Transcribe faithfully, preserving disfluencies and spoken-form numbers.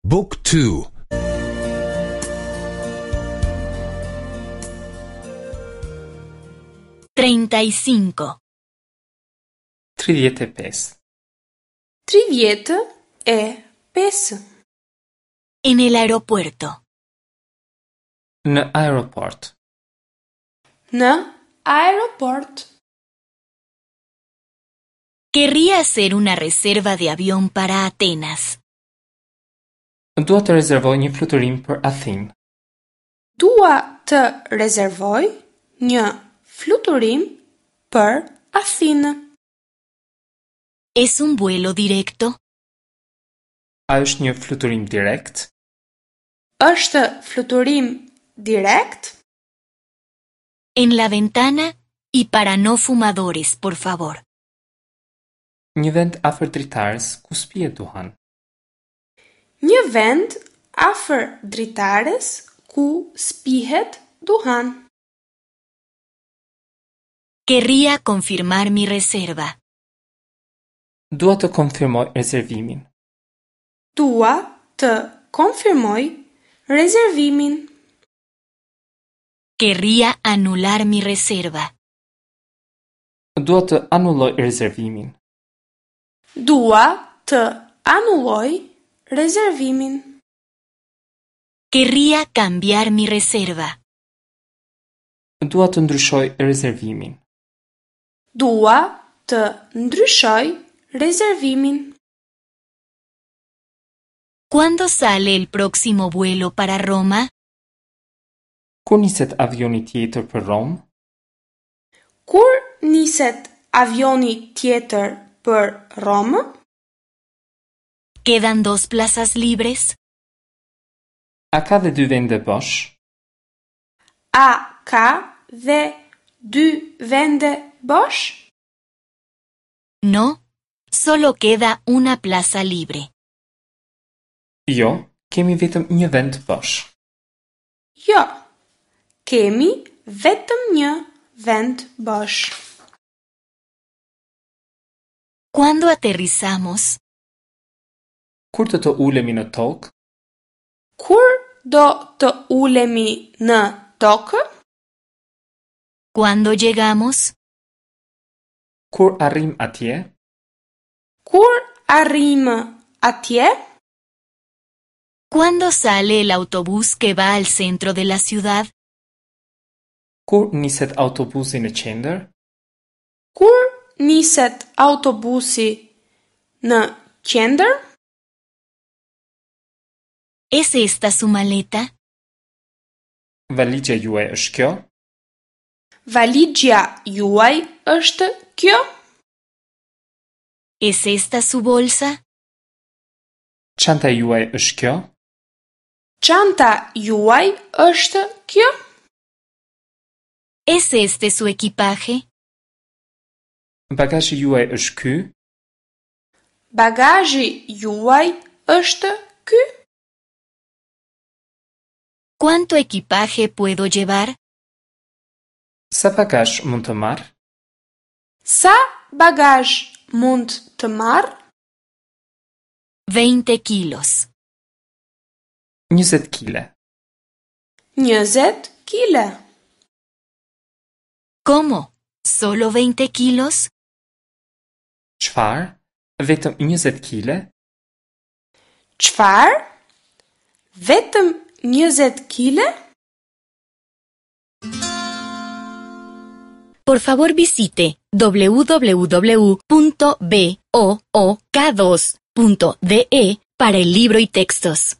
Book two. Treinta y cinco. Tridhjetë e pesë. Tridhjetë e pesë. En el aeropuerto. Në aeroport. Në aeroport. Querría hacer una reserva de avión para Atenas. Dua të rezervoj një fluturim për Athinë. Dua të rezervoj një fluturim për Athinë. ¿Es un vuelo directo? A është një fluturim direkt? Është fluturim direkt? En la ventana y para no fumadores, por favor. Një vend afër dritares ku s'pihet duhan. Një vend afër dritares ku s'pihet duhan. Querría confirmar mi reserva. Dua të konfirmoj rezervimin. Dua të konfirmoj rezervimin. Querría anular mi reserva. Dua të anulloj rezervimin. Dua të anulloj rezervimin. Querría cambiar mi reserva. Dua të ndryshoj rezervimin. Dua të ndryshoj rezervimin. ¿Cuándo sale el próximo vuelo para Roma? Kur niset avioni tjetër për Romë? Kur niset avioni tjetër për Romë? ¿Quedan dos plazas libres? A ka dhe dy vende bosh? A ka dhe dy vende bosh? No, solo queda una plaza libre. Jo, kemi vetëm një vend bosh. Jo, kemi vetëm një vend bosh. ¿Cuándo aterrizamos? Kur do të ulemi në tokë? Kur do të ulemi në tokë? ¿Cuándo llegamos? Kur arrim atje? Kur arrim atje? ¿Cuándo sale el autobús que va al centro de la ciudad? Kur niset autobusi në qendër? Kur niset autobusi në qendër? ¿Es esta su maleta? Valixha juaj është kjo? Valixha juaj është kjo? ¿Es esta su bolsa? Çanta juaj është kjo? Çanta juaj është kjo? ¿Es este su equipaje? Bagazhi juaj është ky? Bagazhi juaj është ky? ¿Cuánto equipaje puedo llevar? Sa bagazh mund të marr? Sa bagazh mund të marr? Veinte kilos. Njëzet kile. Njëzet kile. ¿Cómo? ¿Solo veinte kilos? Çfarë? Vetëm njëzet kile? Çfarë? Vetëm njëzet kile? Por favor visite w w w punto b o o k dos punto d e para el libro y textos.